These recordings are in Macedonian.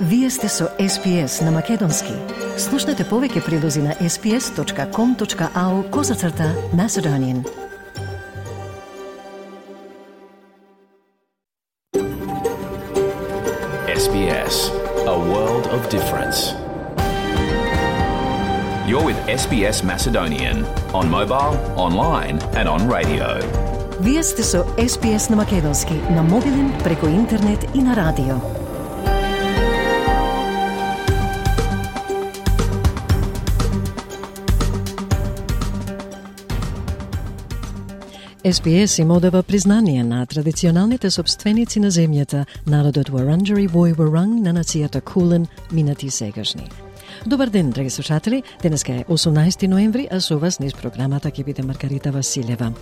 Вие сте со SPS на Македонски. Слушнете повеќе прилози на sps.com.au/Macedonian. SBS, a world of difference. You're with SBS Macedonian on mobile, online and on radio. Вие сте со SPS на Македонски, на мобилен, преку интернет и на радио. SPS им одава признание на традиционалните собственици на земјата, народот Wurundjeri Woi-wurrung на нацијата Кулен, минати и сегашни. Добар ден, драги слушатели. Денеска е 18 ноември, а со вас низ програмата ќе биде Маргарита Василева.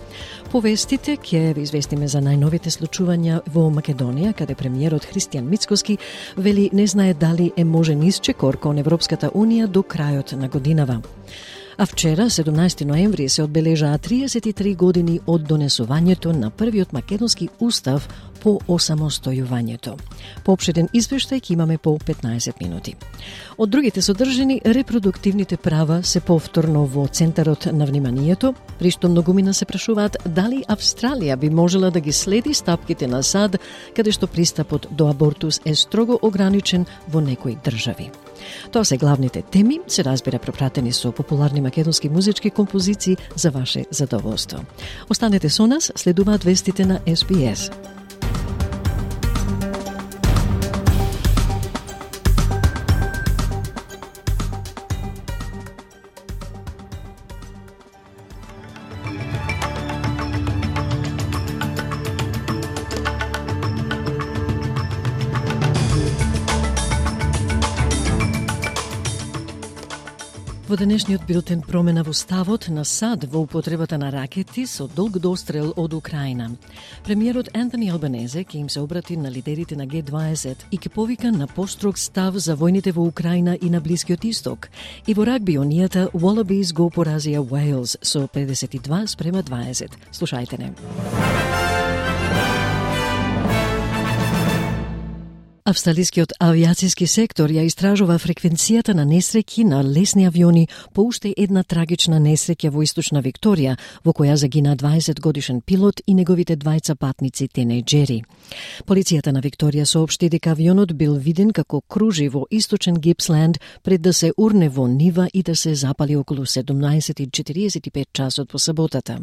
По вестите ќе ви известиме за најновите случувања во Македонија, каде премиерот Христијан Мицкоски вели не знае дали е можен исчекор кон Европската Унија до крајот на годинава. А вчера, 17 ноември, се одбележаа 33 години од донесувањето на првиот македонски устав по осамостојувањето. Поопштен извештај ќе имаме по 15 минути. Од другите содржини, репродуктивните права се повторно во центарот на вниманието, при што многумина се прашуваат дали Австралија би можела да ги следи стапките на САД, каде што пристапот до абортус е строго ограничен во некои држави. Тоа се главните теми, се разбира пропратени со популарни македонски музички композиции за ваше задоволство. Останете со нас, следуваат вестите на SBS. Во денешниот бюлетин промена во ставот на САД во употребата на ракети со долг дострел од Украина. Премиерот Антони Албанезе ќе им се обрати на лидерите на G20 и ќе повика на построг став за војните во Украина и на Блискиот Исток. И во рагби унијата Wallabies го поразија Wales со 52-20. Слушајте не. Австралискиот авиацијски сектор ја истражува фреквенцијата на несреќи на лесни авиони по уште една трагична несреќа во Источна Викторија, во која загина 20-годишен пилот и неговите двајца патници тинејџери. Полицијата на Викторија соопшти дека авионот бил виден како кружи во Источен Гипсленд пред да се урне во нива и да се запали околу 17:45 часот по саботата.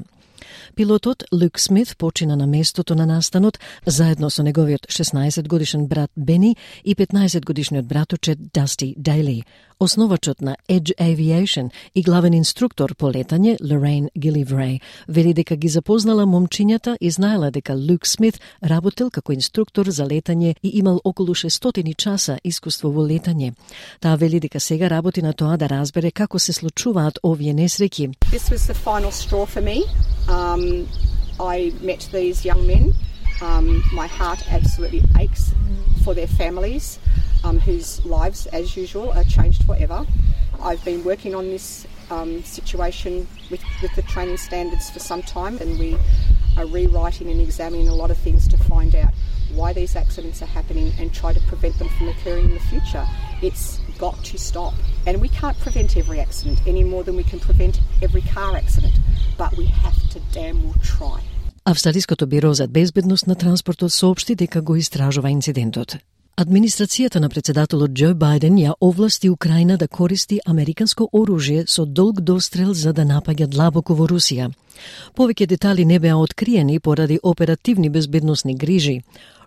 Пилотот Люк Смит почина на местото на настанот заедно со неговиот 16-годишен брат Бени и 15-годишниот браточет Дасти Дейли. Основачот на Edge Aviation и главен инструктор по летање Лорейн Гиливрей вели дека ги запознала момчињата и знаела дека Люк Смит работел како инструктор за летање и имал околу 600 часа искуство во летање. Таа вели дека сега работи на тоа да разбере како се случуваат овие несреќи. This was the final straw for me. I met these young men. My heart absolutely aches for their families, whose lives, as usual, are changed forever. I've been working on this situation with the training standards for some time, and we are rewriting and examining a lot of things to find out why these accidents are happening and try to prevent them from occurring in the future. It's got to stop. And we can't prevent every accident any more than we can prevent every car accident, but we have to damn well try. Австралиското биро за безбедност на транспортот соопшти дека го истражува инцидентот. Администрацијата на председателот Џо Бајден ја овласти Украина да користи американско оружје со долг дострел за да напаѓа длабоко во Русија. Повеќе детали не беа откриени поради оперативни безбедносни грижи.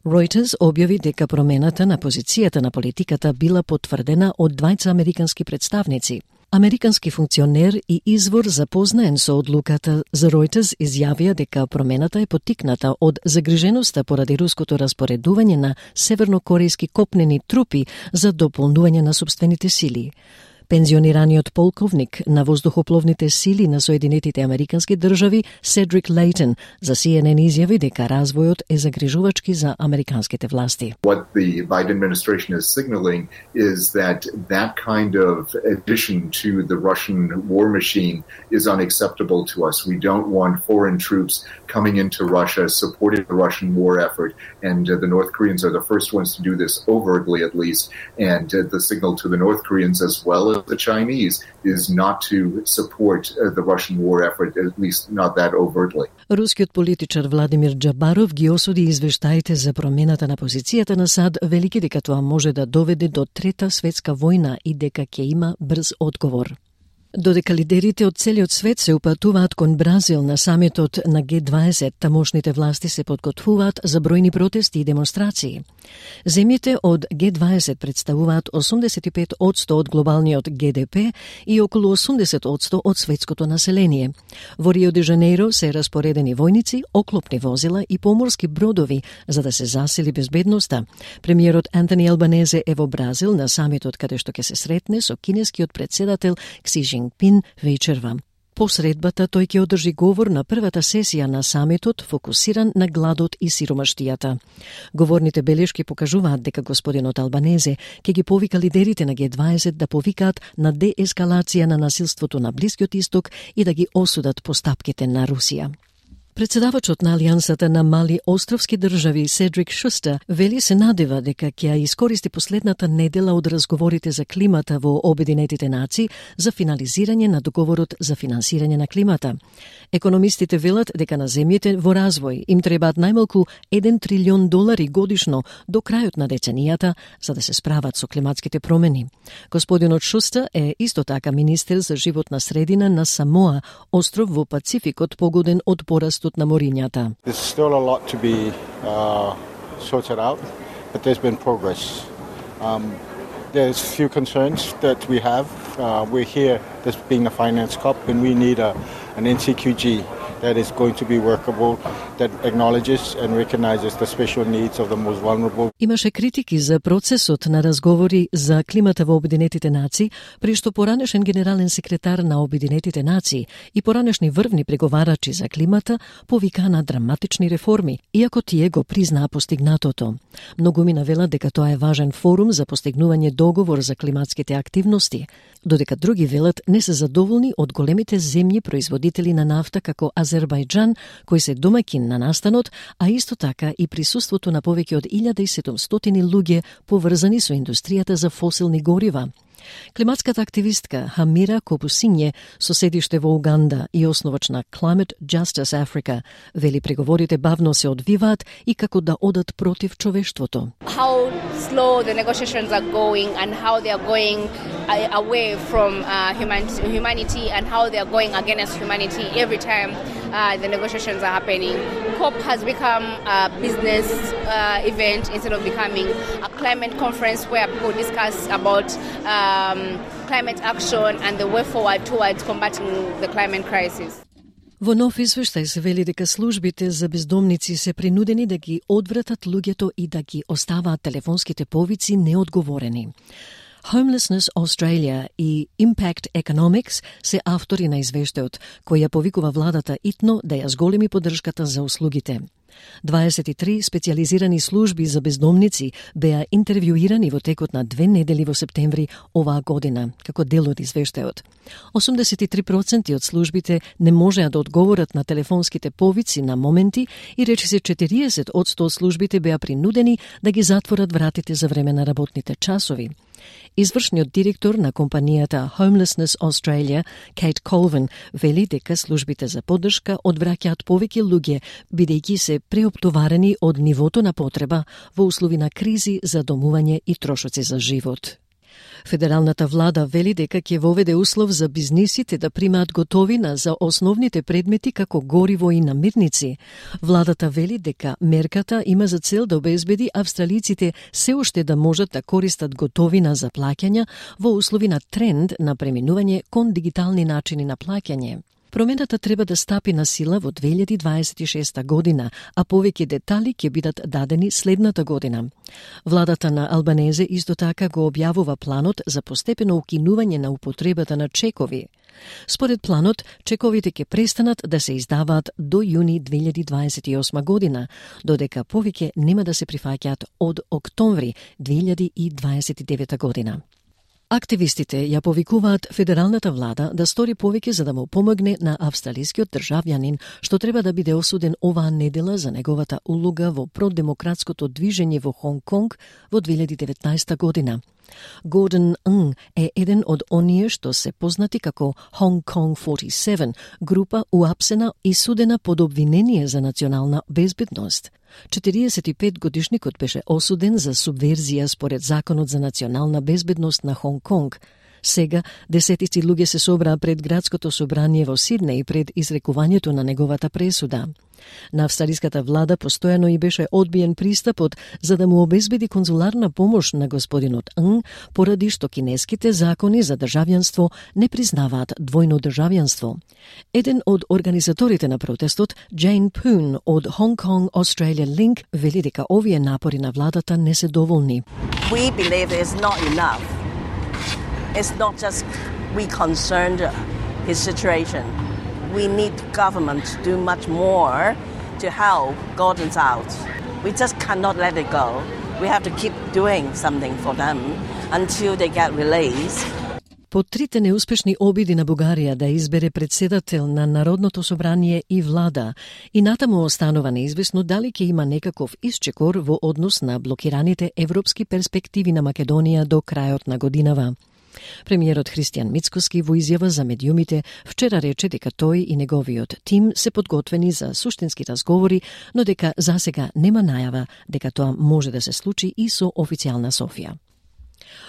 Reuters објави дека промената на позицијата на политиката била потврдена од двајца американски представници. Американски функционер и извор запознаен со одлуката за Reuters изјавија дека промената е поттикната од загриженоста поради руското распоредување на севернокорејски копнени трупи за дополнување на сопствените сили. Пензионираниот полковник на воздухопловните сили на Соединетите Американски држави Седрик Лейтон за CNN изјави дека развојот е загрижувачки за американските власти. What the Biden administration is signaling is that kind of addition to the Russian war machine is unacceptable to us. We don't want foreign troops coming into Russia supporting the Russian war effort, and the North Koreans are the first ones to do this overtly at least, and the signal to the North Koreans as well as the Chinese is not to support the Russian war effort, at least not that overtly. Рускиот политичар Владимир Џабаров ги осуди извештаите за промената на позицијата на САД, велики дека тоа може да доведе до трета светска војна и дека ќе има брз одговор. Додека лидерите од целиот свет се упатуваат кон Бразил на самитот на Г20, тамошните власти се подготвуваат за бројни протести и демонстрации. Земјите од Г20 представуваат 85% од глобалниот ГДП и околу 80% од светското население. Во Рио де Жанеиро се распоредени војници, оклопни возила и поморски бродови за да се засили безбедноста. Премиерот Антони Албанезе е во Бразил на самитот каде што ќе се сретне со кинескиот председател Кси Жинпин вечерва. По средбата тој ќе одржи говор на првата сесија на самитот фокусиран на гладот и сиромаштијата. Говорните белешки покажуваат дека господинот Албанезе ќе ги повика лидерите на Г20 да повикаат на деескалација на насилството на Блискиот исток и да ги осудат постапките на Русија. Председавачот на Алијансата на мали островски држави Седрик Шустер вели се надева дека ќе ја искористи последната недела од разговорите за климата во Обединетите нации за финализирање на договорот за финансирање на климата. Економистите велат дека на земјите во развој им требаат најмалку $1 трилион годишно до крајот на деценијата за да се справат со климатските промени. Господинот Шустер е исто така министер за животна средина на Самоа, остров во Пацификот погоден од пораст на морињата. There's still a lot to be sorted out, but there's been progress. There's few concerns that we have. We're here, this being a finance COP, and we need an NCQG that is going to be workable, that acknowledges and recognizes the special needs of the most vulnerable. Имаше критики за процесот на разговори за климата во Обединетите нации, при што поранешен генерален секретар на Обединетите нации и поранешни врвни преговарачи за климата повика на драматични реформи, иако тие го признаа постигнатото. Многуми навелат дека тоа е важен форум за постигнување договор за климатските активности, додека други велат не се задоволни од големите земји производители на нафта како Азербајџан, кој се домаќин на настанот, а исто така и присуството на повеќе од 1700 луѓе поврзани со индустријата за фосилни горива. Климатската активистка Хамира Копусинје, со седиште во Уганда и основач на Climate Justice Africa, вели преговорите бавно се одвиваат и како да одат против човештвото. How slow the negotiations are going and how they are going away from humanity and how they are going against humanity every time the negotiations are happening. COP has become a business event instead of becoming a climate conference where people discuss about climate action and the way forward towards combating the climate crisis. Во нов извештај се вели дека службите за бездомници се принудени да ги одвратат луѓето и да ги оставаат телефонските повици неодговорени. Homelessness Australia и Impact Economics се автори на извештајот, кој ја повикува владата итно да ја зголеми поддршката за услугите. 23 специјализирани служби за бездомници беа интервјуирани во текот на 2 недели во септември оваа година, како дел од извештајот. 83% од службите не можеа да одговорат на телефонските повици на моменти и речиси 40% од службите беа принудени да ги затворат вратите за време на работните часови. Извршниот директор на компанијата Homelessness Australia, Kate Colvin, вели дека службите за поддршка одвраќаат повеќе луѓе, бидејќи се преоптоварени од нивото на потреба во услови на кризи за домување и трошоци за живот. Федералната влада вели дека ќе воведе услов за бизнисите да примаат готовина за основните предмети како гориво и намирници. Владата вели дека мерката има за цел да обезбеди австралиците се уште да можат да користат готовина за плаќања во услови на тренд на преминување кон дигитални начини на плаќање. Промената треба да стапи на сила во 2026 година, а повеќе детали ќе бидат дадени следната година. Владата на Албанезе исто така го објавува планот за постепено укинување на употребата на чекови. Според планот, чековите ќе престанат да се издаваат до јуни 2028 година, додека повеќе нема да се прифаќаат од октомври 2029 година. Активистите ја повикуваат федералната влада да стори повеќе за да му помогне на австралискиот државјанин што треба да биде осуден оваа недела за неговата улога во продемократското движење во Хонг Конг во 2019 година. Гордон Ng е еден од оние што се познати како Hong Kong 47, група уапсена и судена под обвинение за национална безбедност. 45-годишникот беше осуден за субверзија според Законот за национална безбедност на Хонг Конг. Сега, десетици луѓе се собраа пред градското собрание во Сиднеј пред изрекувањето на неговата пресуда. На австралиската влада постојано и беше одбиен пристапот за да му обезбеди конзуларна помош на господинот Ng, поради што кинеските закони за државјанство не признаваат двојно државјанство. Еден од организаторите на протестот, Jane Poon од Hong Kong Australia Link, вели дека овие напори на владата не се доволни. We believe it's not enough. It's not just we concerned his situation. We need government to do much more to help Gordon's out. We just cannot let it go. We have to keep doing something for them until they get released. По трите неуспешни обиди на Бугарија да избере председател на Народното собрание и влада, и натаму останува неизвестно дали ќе има некаков исчекор во однос на блокираните европски перспективи на Македонија до крајот на годинава. Премиерот Христијан Мицкоски во изјава за медиумите вчера рече дека тој и неговиот тим се подготвени за суштински разговори, но дека засега нема најава дека тоа може да се случи и со официјална Софија.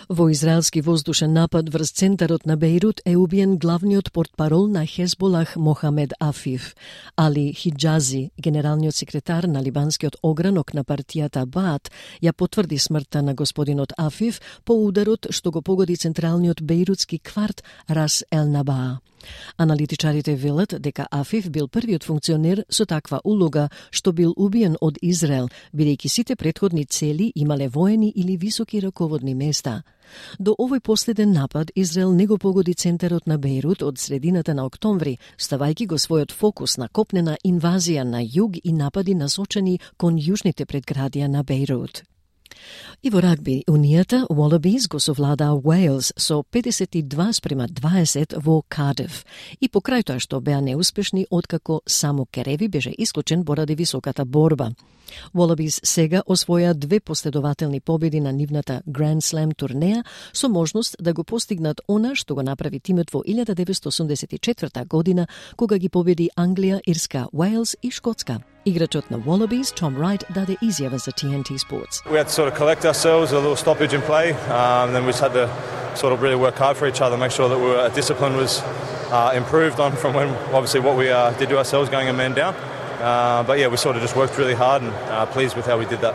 Во израелски воздушен напад врз центарот на Бејрут е убиен главниот портпарол на Хезболах Мохамед Афиф. Али Хиджази, генералниот секретар на либанскиот огранок на партијата Баат, ја потврди смртта на господинот Афиф по ударот што го погоди централниот бејрутски кварт Рас Ел Набаа. Аналитичарите велат дека Афиф бил првиот функционер со таква улога што бил убиен од Израел, бидејќи сите претходни цели имале воени или високи раководни места. До овој последен напад Израел не го погоди центарот на Бејрут од средината на октомври, ставајќи го својот фокус на копнена инвазија на југ и напади насочени кон јужните предградија на Бејрут. И во рагби, унијата Wallabies го совладаа Уейлс со 52-20 во Кардиф. И покрај тоа што беа неуспешни откако само Кереви беше исклучен поради високата борба. Wallabies сега освоја 2 последователни победи на нивната Grand Slam турнеја со можност да го постигнат она што го направи тимот во 1984 година кога ги победи Англија, Ирска, Уейлс и Шкотска. Играчот на Wallabies, Tom Wright, даде изјава за TNT Sports. We had to sort of collect ourselves, a little stoppage in play, then we just had to sort of really work hard for each other, make sure that our discipline was improved on from when obviously what we did to ourselves going a man down. But yeah, we sort of just worked really hard and pleased with how we did that.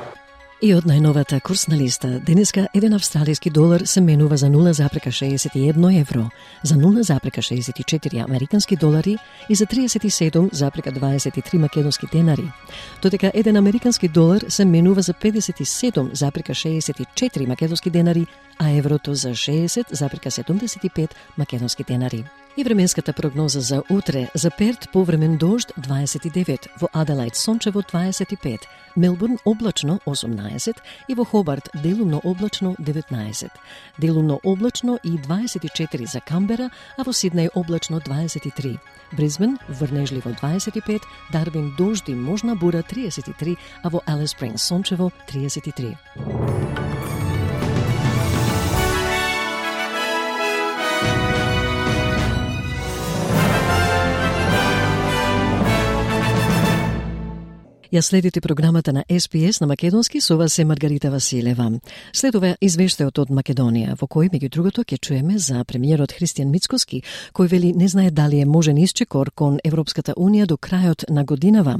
И од најновата курсна листа, денеска еден австралиски долар се менува за 0,61 евро, за 0,64 американски долари и за 37,23 македонски денари. Додека еден американски долар се менува за 57,64 македонски денари, а еврото за 60,75 македонски денари. И временската прогноза за утре: за Перт повремен дожд 29, во Аделајд сончево 25, Мелбурн облачно 18 и во Хобарт делумно облачно 19. Делумно облачно и 24 за Камбера, а во Сиднеј облачно 23. Брисбен врнежливо 25, Дарвин дожд и можна бура 33, а во Алис Спрингс сончево 33. Ја следите програмата на СПС на македонски, со вас е Маргарита Василева. Следува извештајот од Македонија, во кој меѓу другото ќе чуеме за премиерот Христијан Мицкоски, кој вели не знае дали е можен исчекор кон Европската унија до крајот на годинава.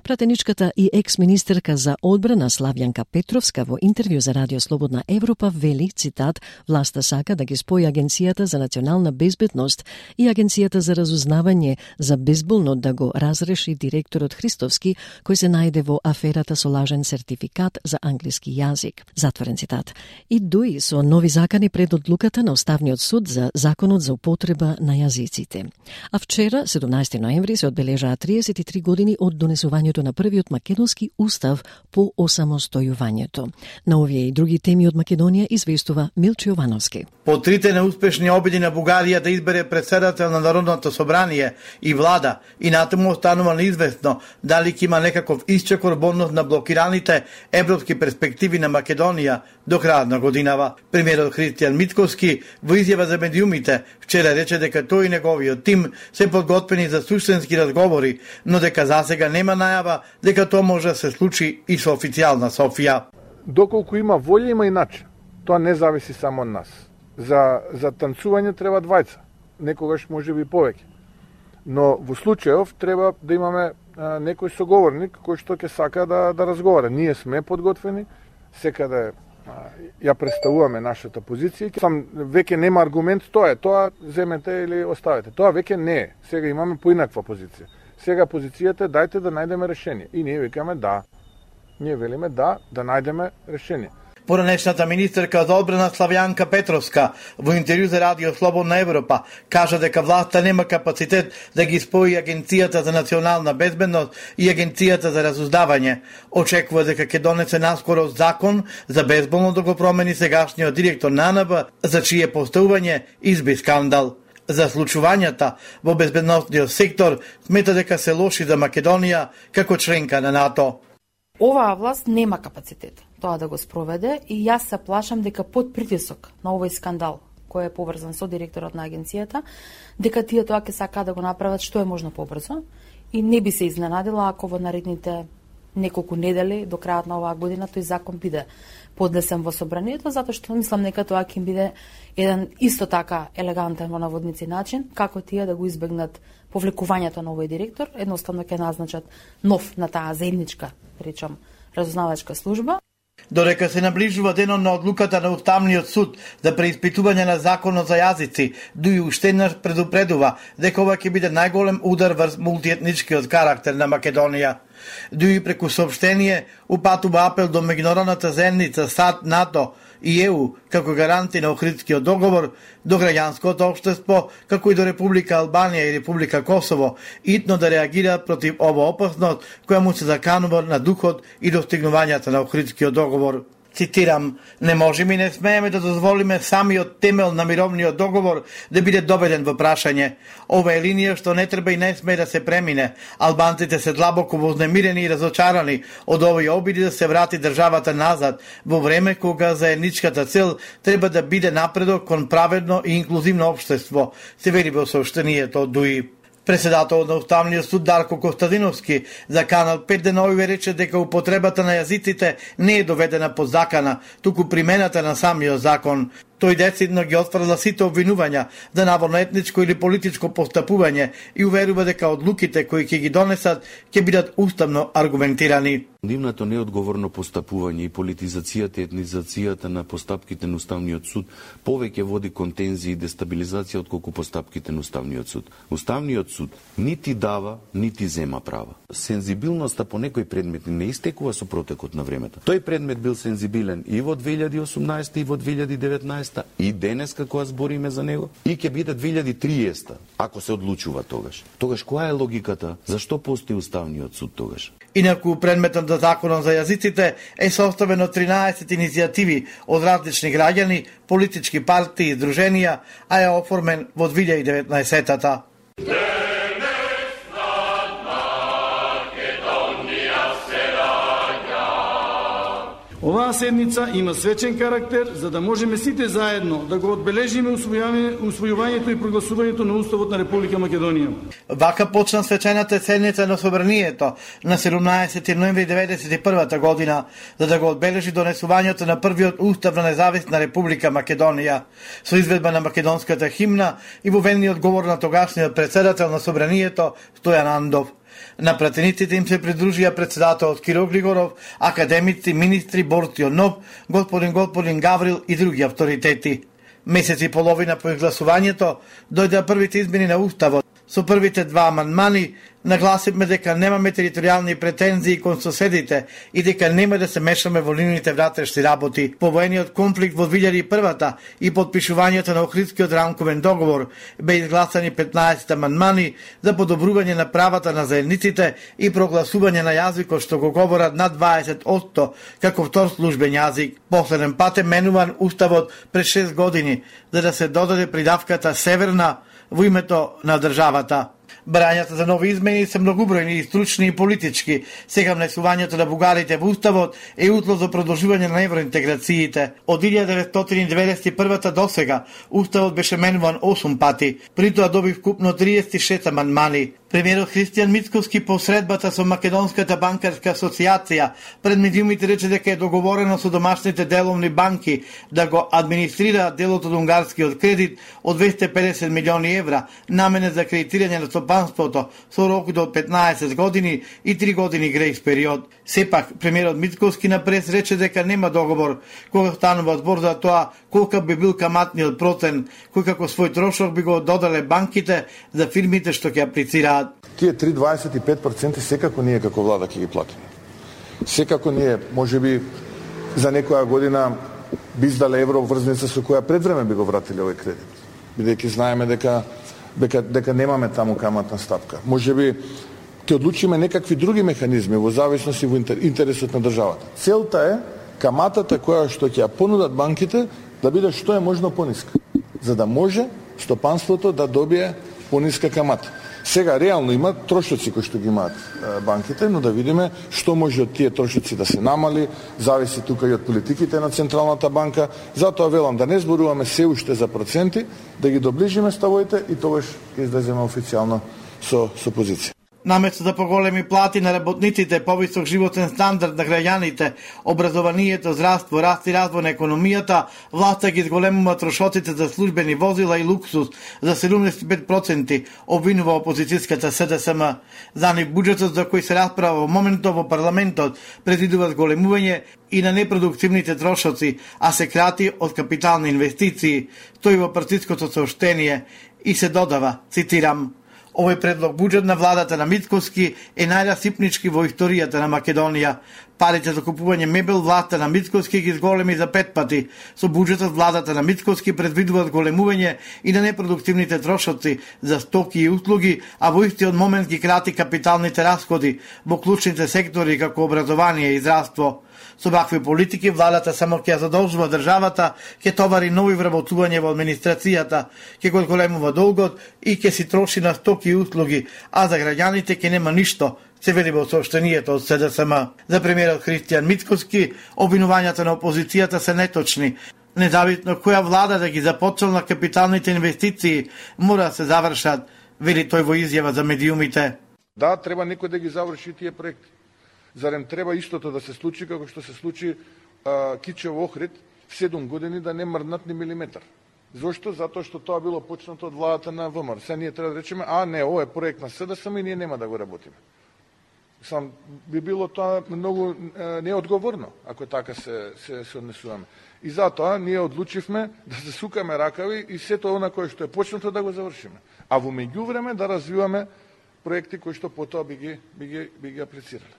Пратеничката и екс-министерка за одбрана Славјанка Петровска во интервју за Радио Слободна Европа вели, цитат, власта сака да ги спои Агенцијата за национална безбедност и Агенцијата за разузнавање за безболно да го разреши директорот Христовски, кој се најде во аферата со лажен сертификат за англиски јазик. Затворен цитат. И дуи со нови закани пред одлуката на Уставниот суд за законот за употреба на јазиците. А вчера, 17 ноември, се одбележаа 33 години од донесувањето на првиот македонски устав по осамостојувањето. На овие и други теми од Македонија известува Милчо Јовановски. По трите неуспешни обиди на Бугарија да избере председател на Народното собрание и влада, и натаму останува неизвестно дали ќе има некаков исчекор во однос на блокираните европски перспективи на Македонија до крајот на годинава. Премиерот Христијан Мицкоски во изјава за медиумите вчера рече дека тој и неговиот тим се подготвени за суштински разговори, но дека засега нема најава дека тоа може да се случи и со официјална Софија. Доколку има волја, има и начин. Тоа не зависи само од нас. За танцување треба двајца, некогаш може би повеќе. Но во случајов треба да имаме некој соговорник кој што ќе сака да разговара. Ние сме подготвени, секаде ја представуваме нашата позиција. Сам веќе нема аргумент, тоа земете или оставете. Тоа веќе не е. Сега имаме поинаква позиција. Сега позицијата е дајте да најдеме решение. И ние викаме да. Ние велиме да најдеме решение. Поранешната министерка за одбрана Славјанка Петровска во интервју за Радио Слободна Европа кажа дека власта нема капацитет да ги спои Агенцијата за национална безбедност и Агенцијата за разузнавање. Очекува дека ќе донесе наскоро закон за безболно да го промени сегашниот директор на АНБ, за чие поставување изби скандал. За случувањата во безбедносниот сектор смета дека се лоши за Македонија како членка на НАТО. Оваа власт нема капацитет тоа да го спроведе и јас се плашам дека под притисок на овој скандал кој е поврзан со директорот на агенцијата, дека тие тоа ќе сакаат да го направат што е можно побрзо и не би се изненадила ако во наредните неколку недели до крајот на оваа година тој закон биде поднесен во собранието, затоа што мислам дека тоа ќе биде еден исто така елегантен во наводници начин како тие да го избегнат повлекувањето на овој директор, едноставно ќе назначат нов на таа заедничка, речам, разузнавачка служба. Додека се наближува денот на одлуката на Уставниот суд за преиспитување на законот за јазици, Дуи уште еднаш предупредува дека ова ќе биде најголем удар врз мултиетничкиот карактер на Македонија. Дуи преку соопштение упатува апел до меѓународната заедница, САД, НАТО и ЕУ како гаранти на Охридскиот договор, до граѓанското општество, како и до Република Албанија и Република Косово, итно да реагираат против ова опасност која му се заканува на духот и достигнувањата на Охридскиот договор. Цитирам, не можеме и не смееме да дозволиме самиот темел на мировниот договор да биде доведен во прашање. Ова е линија што не треба и не смее да се премине. Албанците се длабоко вознемирени и разочарани од овој обиди да се врати државата назад во време кога заедничката цел треба да биде напредок кон праведно и инклузивно општество, се вели во соопштението од Дуи. Председателот на Уставниот суд Дарко Костадиновски за Канал 5 денови рече дека употребата на јазиците не е доведена под закана, туку примената на самиот закон. Тој децидно ги отфрла сите обвинувања за наводно етничко или политичко постапување и уверува дека одлуките кои ќе ги донесат ќе бидат уставно аргументирани. Нивното неодговорно постапување и политизацијата и етнизацијата на постапките на Уставниот суд повеќе води кон тензии и дестабилизација отколку постапките на Уставниот суд. Уставниот суд нити дава, нити зема права. Сензибилноста по некои предмети не истекува со протекот на времето. Тој предмет бил сензибилен и во 2018 и во 2019 и денеска кога збориме за него и ќе биде 2030 ако се одлучува тогаш. Тогаш која е логиката? Зашто постои Уставниот суд тогаш? Инаку предметот на законот за јазиците е составен од 13 иницијативи од различни граѓани, политички партии и здруженија, а е оформен во 2019-та. Оваа седница има свечен карактер за да можеме сите заедно да го одбележиме усвојувањето и прогласувањето на Уставот на Република Македонија. Вака почна свечената седница на Собранието на 17 ноември 1991 година, за да го одбележи донесувањето на првиот Устав на независна Република Македонија, со изведба на македонската химна и воведениот говор на тогашниот председател на Собранието Стојан Андов. На пратениците им се придружија председателот Киро Григоров, академици, министри Борцио Нов, господин Гаврил и други авторитети. Месец и половина по изгласувањето дојдеа првите измени на Уставот. Со првите два амандмани нагласивме дека немаме територијални претензии кон соседите и дека нема да се мешаме во нивните внатрешни работи. По воениот конфликт во 2001 и подпишувањето на Охридскиот рамковен договор бе изгласани 15 амандмани за подобрување на правата на заедниците и прогласување на јазикот што го говорат над 20% како втор службен јазик. Последен пат е менуван Уставот пред 6 години за да се додаде придавката северна во името на државата. Барањата за нови измени се многобројни и стручни и политички. Сега внесувањето на бугарите во Уставот е услов за продолжување на евроинтеграциите. Од 1991 до сега Уставот беше менуван 8 пати. При тоа доби вкупно 36 амандмани. Премиерот Христијан Мицковски по средбата со Македонската банкарска асоциација пред медиумите рече дека е договорено со домашните деловни банки да го администрира делот од унгарскиот кредит од 250 милиони евра наменет за кредитирање на стопанството со рок до 15 години и 3 години грејс период. Сепак, премиерот Мицковски на прес рече дека нема договор кога станува збор за тоа колка би бил каматниот процент кој како свој трошок би го додале банките за фирмите што ќе аплицираат. Тие 3,25% секако ние како влада ќе ги платиме. Секако ние, можеби за некоја година би издале евроврзница со која пред време би го вратиле овој кредит. Бидејќи знаеме дека немаме таму каматна стапка. Можеби ќе одлучиме некакви други механизми во зависност и во интересот на државата. Целта е каматата која што ќе ја понудат банките да биде што е можно пониска, за да може стопанството да добие пониска камата. Сега реално има трошоци кои што ги имаат банките, но да видиме што може од тие трошоци да се намали, зависи тука и од политиките на Централната банка. Затоа велам да не зборуваме се уште за проценти, да ги доближиме ставовите и тогаш ќе излеземе официјално со позиција. Наместо за поголеми плати на работниците, повисок животен стандард на граѓаните, образованието, здравство, раст и развој на економијата, власта ги зголемува трошоците за службени возила и луксус за 75%, обвинува опозицијската СДСМ. За нив буџетот за кој се расправа во моментот во парламентот предвидува зголемување и на непродуктивните трошоци, а се крати од капитални инвестиции, стои во партиското сооштение и се додава, цитирам: овој предлог буџет на владата на Мицковски е најрасипнички во историјата на Македонија. Парите за купување мебел власта на Мицковски ги зголеми за 5 пати. Со буџетот владата на Мицковски предвидува зголемување и на непродуктивните трошоци за стоки и услуги, а во истиот момент ги крати капиталните расходи во клучните сектори како образование и здравство. Со вакви политики владата само ќе задолжува државата, ќе товари нови вработување во администрацијата, ќе го зголемува долгот и ќе си троши на стоки и услуги, а за граѓаните ќе нема ништо, се вели во сообщението од СДСМ. За премиерот Христијан Мицковски, обвинувањата на опозицијата се неточни. Независно која влада да ги започнала капиталните инвестиции, мора да се завршат, вели тој во изјава за медиумите. Да, треба некој да ги заврши тие проекти. Зарем треба истото да се случи како што се случи Кичево Охрид, 7 години да не мрднат ни милиметар. Зошто? Затоа што тоа било почнато од владата на ВМРО. Сега ние треба да речеме, не, ова е проект на СДСМ и ние нема да го работиме. Сам би било тоа многу неодговорно, ако така се однесуваме. И затоа ние одлучивме да се сукаме ракави и сето она кое што е почнато да го завршиме. А во меѓувреме да развиваме проекти кои што потоа би ги аплицирале.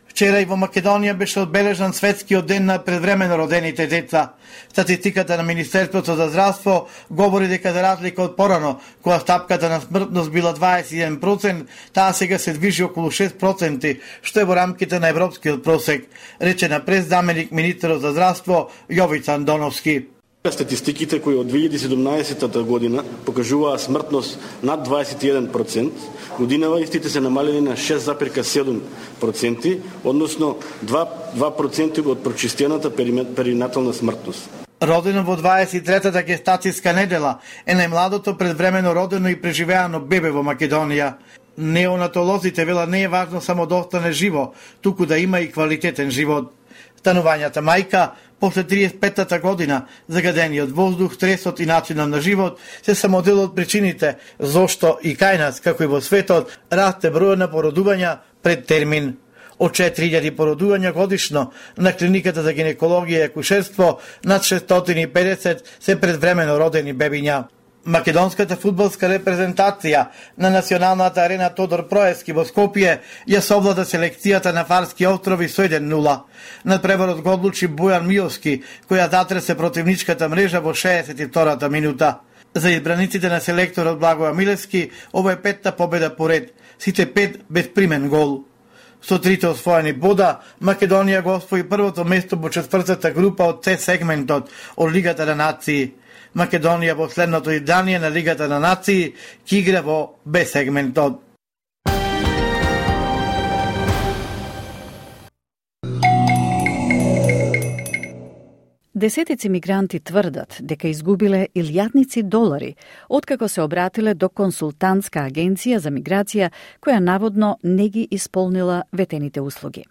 Вчера и во Македонија беше одбележан светскиот ден на предвремено родените деца. Статистиката на Министерството за здравство говори дека за разлика од порано, кога стапката на смртност била 21%, таа сега се движи околу 6%, што е во рамките на европскиот просек, рече на прес заменик министерот за здравство Јовица Андоновски. Статистиките кои од 2017 година покажуваа смртност над 21%, годинава истите се намалени на 6,7%, односно 2% од прочистената перинатална смртност. Родено во 23-та гестацијска недела е најмладото предвремено родено и преживеано бебе во Македонија. Неонатолозите велат не е важно само да остане живо, туку да има и квалитетен живот. Станувањата мајка, после 35-та година, загадениот воздух, стресот и начинот на живот, се само дел од причините зошто и кај нас, како и во светот, расте бројот на породувања пред термин. Од 4000 породувања годишно на клиниката за гинекологија и акушерство, над 650 се предвремено родени бебиња. Македонската фудбалска репрезентација на националната арена Тодор Проевски во Скопје ја совлада селекцијата на Фарски острови со 1-0. Надпреварот го одлучи Бојан Миовски, која затресе противничката мрежа во 62-та минута. За избраниците на селекторот Благоја Милевски, ова е 5-та победа поред, сите 5 без примен гол. Со 3 освоени бода, Македонија го освои првото место во 4-та група од С сегментот од Лигата на нации. Македонија во следното издание на Лигата на нации ќе игра во Б сегментот. Десетици мигранти тврдат дека изгубиле илјадници долари откако се обратиле до консултантска агенција за миграција која наводно не ги исполнила ветените услуги.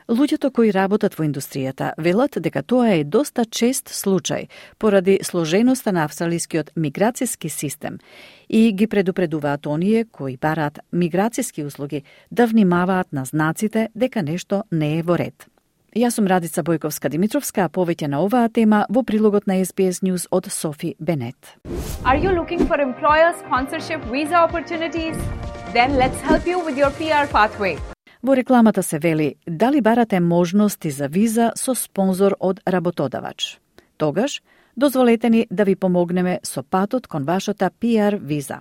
Луѓето кои работат во индустријата велат дека тоа е доста чест случај поради сложеноста на австралискиот миграцијски систем и ги предупредуваат оние кои бараат миграцијски услуги да внимаваат на знаците дека нешто не е во ред. Јас сум Радица Бојковска-Димитровска, а повеќе на оваа тема во прилогот на SBS News од Софи Бенет. Are you looking for employer sponsorship visa opportunities? Then let's help you with your PR pathway. Во рекламата се вели, дали барате можности за виза со спонзор од работодавач? Тогаш, дозволете ни да ви помогнеме со патот кон вашата PR виза.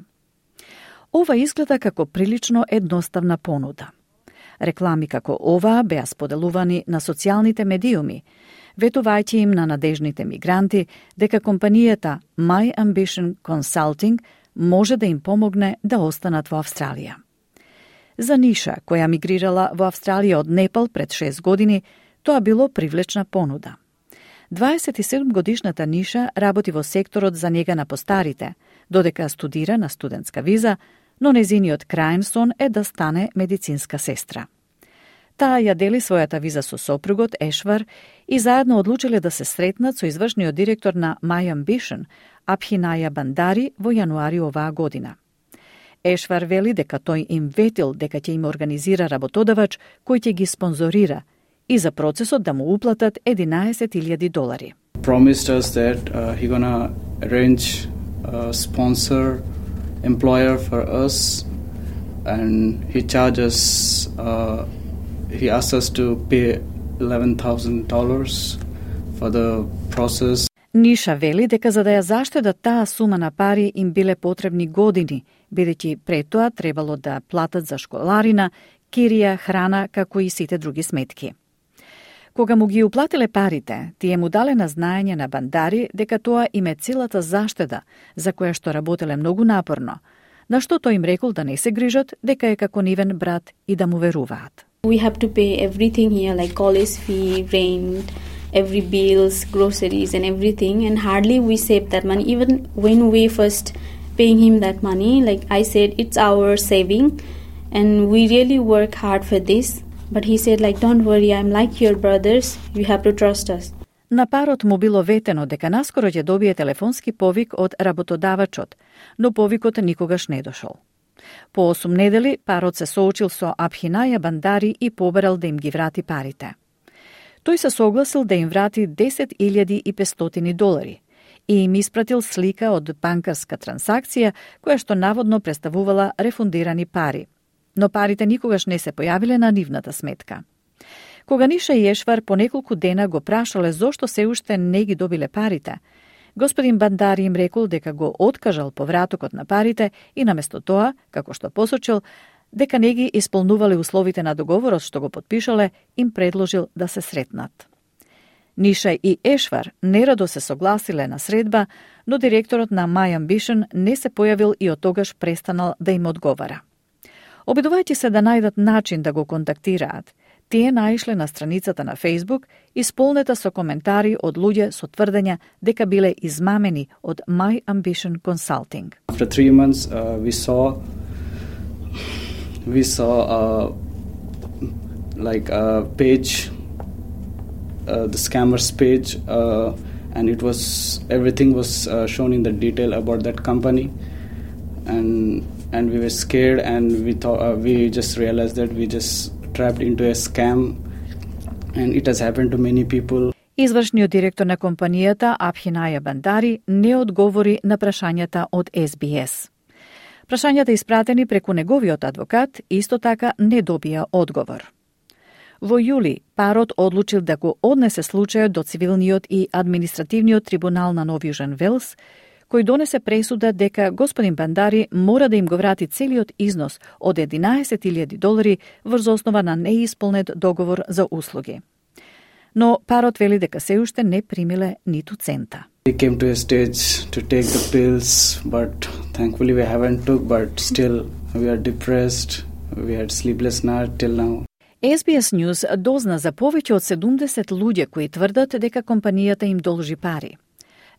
Ова изгледа како прилично едноставна понуда. Реклами како оваа беа споделувани на социјалните медиуми, ветувајќи им на надежните мигранти дека компанијата My Ambition Consulting може да им помогне да останат во Австралија. За Ниша, која мигрирала во Австралија од Непал пред 6 години, тоа било привлечна понуда. 27-годишната Ниша работи во секторот за нега на постарите, додека студира на студентска виза, но незиниот крајен сон е да стане медицинска сестра. Таа ја дели својата виза со сопругот Ешвар и заедно одлучиле да се сретнат со извршниот директор на My Ambition, Абхинаја Бандари, во јануари оваа година. Ешвар вели дека тој им ветил дека ќе им организира работодавач кој ќе ги спонзорира и за процесот да му уплатат $11,000. Promised us that he gonna arrange a sponsor employer for us, and he charges he asked us to pay $11,000 for the process. Ниша вели дека за да ја заштедат таа сума на пари им биле потребни години, бидејќи пред тоа требало да платат за школарина, кирија, храна, како и сите други сметки. Кога му ги уплатиле парите, тие му дале на знаење на Бандари дека тоа им е целата заштеда, за која што работеле многу напорно, на што тој им рекол да не се грижат, дека е како нивен брат и да му веруваат. We have to pay everything here, like college fee, rent, every bills, groceries and everything, and hardly we save that money. Even when we first paying him that money, like I said, it's our saving and we really work hard for this. But he said, like, don't worry, I'm like your brothers, you have to trust us. На парот му било ветено дека наскоро ќе добие телефонски повик од работодавачот, но повикот никогаш не дошол. По 8 недели парот се соочил со Абхинаја Бандари и побарал да им ги врати парите. Тој се согласил да им врати $10,500 и им испратил слика од банкарска трансакција која што наводно представувала рефундирани пари. Но парите никогаш не се појавиле на нивната сметка. Кога Ниша и Ешвар по неколку дена го прашале зошто се уште не ги добиле парите, господин Бандари им рекол дека го откажал повратокот на парите и наместо тоа, како што посочил, дека не ги исполнувале условите на договорот што го потпишале, им предложил да се сретнат. Ниша и Ешвар нерадо се согласиле на средба, но директорот на My Ambition не се појавил и од тогаш престанал да им одговара. Обидувајќи се да најдат начин да го контактираат, тие наишле на страницата на Facebook, исполнета со коментари од луѓе со тврдења дека биле измамени од My Ambition Consulting. After 3 months, we saw like a page, the scammers page, and everything was shown in the detail about that company, and we were scared, and we just realized that we just trapped into a scam, and it has happened to many people. Извршниот директор на компанијата Абхинаја Бандари не одговори на прашањата од SBS. Прашањата испратени преку неговиот адвокат исто така не добија одговор. Во јули, парот одлучил да го однесе случајот до цивилниот и административниот трибунал на Нов Јужен Велс, кој донесе пресуда дека господин Бандари мора да им го врати целиот износ од $11,000 врз основа на неисполнет договор за услуги. Но парот вели дека се уште не примиле ниту цента. We came to a stage to take the pills, but thankfully we haven't took, but still we are depressed. We had sleepless night till now. SBS News дозна за повеќе од 70 луѓе кои тврдат дека компанијата им должи пари.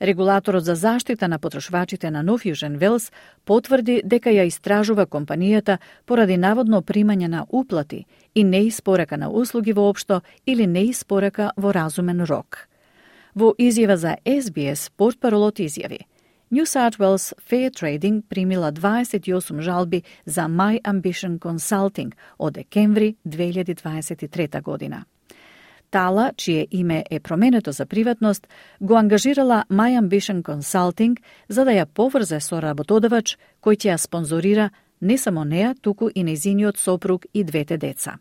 Регулаторот за заштита на потрошвачите на Нов Јужен Велс потврди дека ја истражува компанијата поради наводно примање на уплати и неиспорака на услуги воопшто или неиспорака во разумен рок. Во изјава за SBS, портпаролот изјави: New South Wales Fair Trading примила 28 жалби за My Ambition Consulting од декември 2023 година. Тала, чие име е променето за приватност, го ангажирала My Ambition Consulting за да ја поврзе со работодавач кој ќе ја спонзорира не само неа, туку и нејзиниот сопруг и двете деца.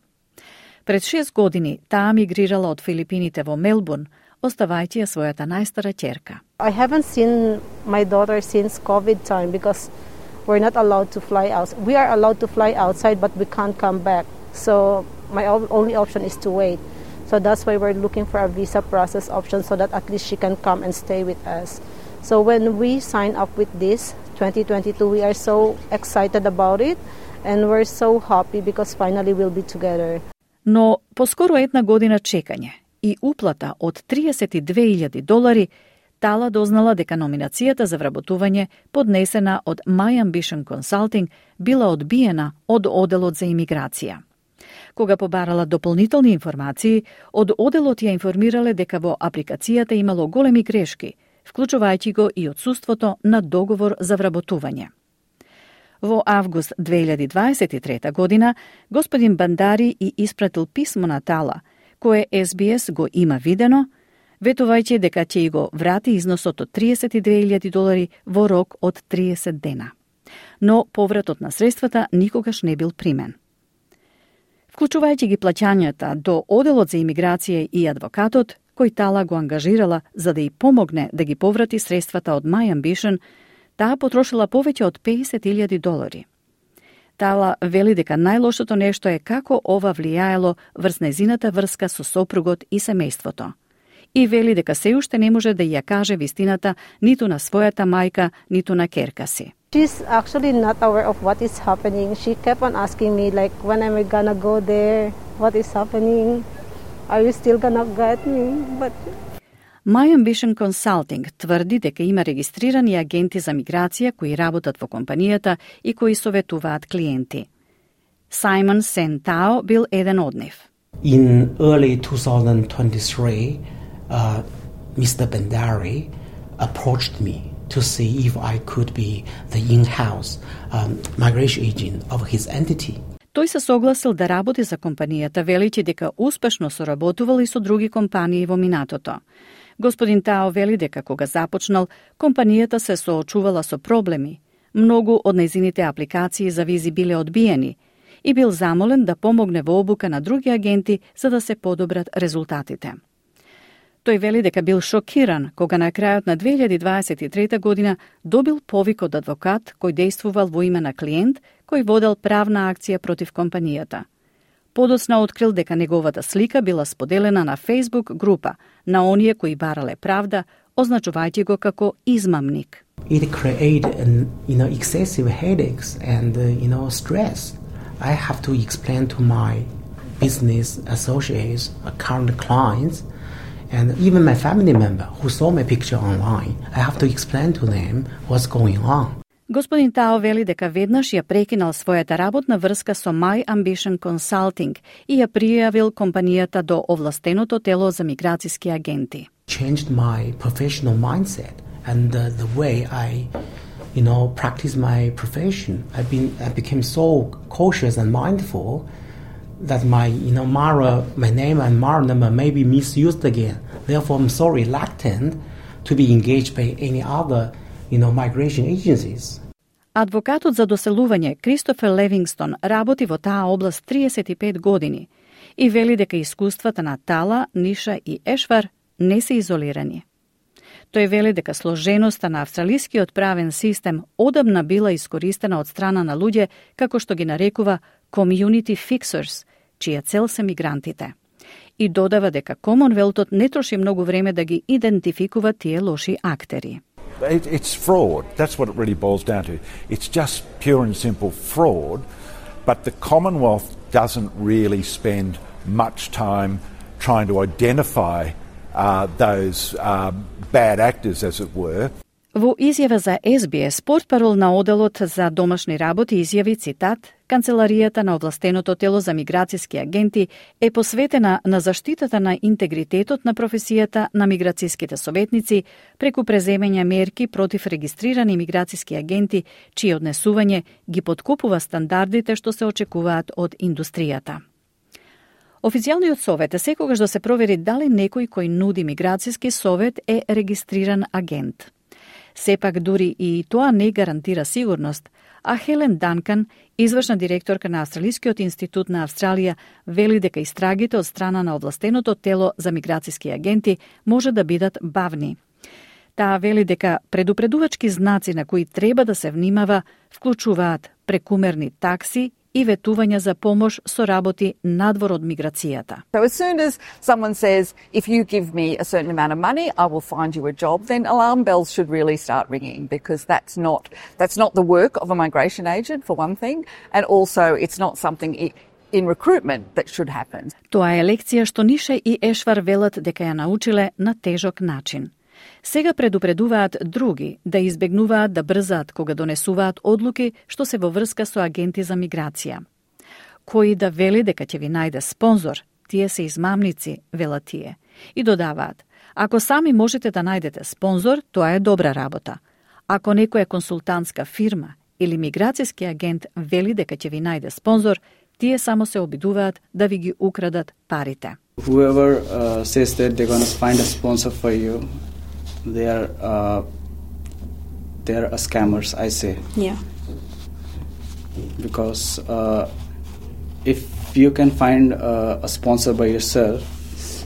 Пред 6 години таа мигрирала од Филипините во Мелбурн, оставајќи ја својата најстара ќерка. I haven't seen my daughter since COVID time because we're not allowed to fly out. We are allowed to fly outside, but we can't come back. So my only option is to wait. So that's why we're looking for a visa process option so that at least she can come and stay with us. So when we sign up with this 2022, we are so excited about it and we're so happy because finally we'll be together. Но поскоро една година чекање и уплата од $32,000, Тала дознала дека номинацијата за вработување поднесена од My Ambition Consulting била одбиена од Оделот за имиграција. Кога побарала дополнителни информации, од Оделот ја информирале дека во апликацијата имало големи грешки, вклучувајќи го и отсуството на договор за вработување. Во август 2023 година, господин Бандари и испратил писмо на Тала, кое SBS го има видено, ветувајќи дека ќе го врати износот од $32,000 во рок од 30 дена. Но повратот на средствата никогаш не бил примен. Вклучувајќи ги плаќањата до Оделот за имиграција и адвокатот, кој Тала го ангажирала за да ја помогне да ги поврати средствата од My Ambition, таа потрошила повеќе од $50,000. Тала вели дека најлошото нешто е како ова влијаело врз нејзината врска со сопругот и семејството. И вели дека се уште не може да ја каже вистината ниту на својата мајка, ниту на керка си. She's actually not aware of what is happening. She kept on asking me like, when am I gonna go there? What is happening? Are you still gonna get me? But My Ambition Consulting тврди дека има регистрирани агенти за миграција кои работат во компанијата и кои советуваат клиенти. Simon Sentao бил еден од нив. In early 2023, Mr. Bandari approached me to see if I could be the in-house migration agent of his entity. Тој се согласил да работи за компанијата, велејќи дека успешно соработувал и со други компании во минатото. Господин Тао вели дека кога започнал, компанијата се соочувала со проблеми. Многу од нејзините апликации за визи биле одбиени и бил замолен да помогне во обука на други агенти за да се подобрат резултатите. Тој вели дека бил шокиран кога на крајот на 2023 година добил повик од адвокат кој дејствувал во име на клиент кој водел правна акција против компанијата. Подоцна открил дека неговата слика била споделена на Facebook група на оние кои барале правда, означувајќи го како измамник. It created, excessive headaches and, stress. I have to explain to my business associates, current clients, and even my family member who saw my picture online. I have to explain to them what's going on. Господин Тао вели дека веднаш ја прекинал својата работна врска со My Ambition Consulting и ја пријавил компанијата до овластеното тело за миграцијски агенти. Changed my professional mindset and the way I, practice my profession. I became so cautious and mindful that my name and MARA number may be misused again. Therefore, I'm so reluctant to be engaged by any other, migration agencies. Адвокатот за доселување Кристофер Левингстон работи во таа област 35 години и вели дека искуствата на Тала, Ниша и Ешвар не се изолирани. Тој вели дека сложеноста на австралискиот правен систем одамна била искористена од страна на луѓе како што ги нарекува community fixers, чија цел се мигрантите. И додава дека Комонвелтот не троши многу време да ги идентификува тие лоши актери. It's fraud. That's what it really boils down to. It's just pure and simple fraud, but the Commonwealth doesn't really spend much time trying to identify those bad actors, as it were. Во изјава за SBS, портпарол на оделот за домашни работи изјави цитат: Канцеларијата на овластеното тело за миграцијски агенти е посветена на заштитата на интегритетот на професијата на миграцијските советници преку преземање мерки против регистрирани миграцијски агенти чие однесување ги подкупува стандардите што се очекуваат од индустријата. Официјалниот совет е секогаш да се провери дали некој кој нуди миграцијски совет е регистриран агент. Сепак дури и тоа не гарантира сигурност, а Хелен Данкан, извршна директорка на Австралискиот институт на Австралија, вели дека истрагите од страна на овластеното тело за миграцијски агенти може да бидат бавни. Таа вели дека предупредувачки знаци на кои треба да се внимава вклучуваат прекумерни такси и ветување за помош со работи надвор од миграцијата. So as soon as someone says, if you give me a certain amount of money, I will find you a job, then alarm bells should really start ringing, because that's not the work of a migration agent, for one thing, and also it's not something in recruitment that should happen. Тоа е лекција што Ниша и Ешвар велат дека ја научиле на тежок начин. Сега предупредуваат други да избегнуваат да брзаат кога донесуваат одлуки што се во врска со агенти за миграција. Кој да вели дека ќе ви најде спонзор, тие се измамници, велат тие. И додаваат, ако сами можете да најдете спонзор, тоа е добра работа. Ако некоја консултантска фирма или миграцијски агент вели дека ќе ви најде спонзор, тие само се обидуваат да ви ги украдат парите. Whoever says that they're going to find a sponsor for you, they are scammers, I say. Yeah. Because if you can find a sponsor by yourself,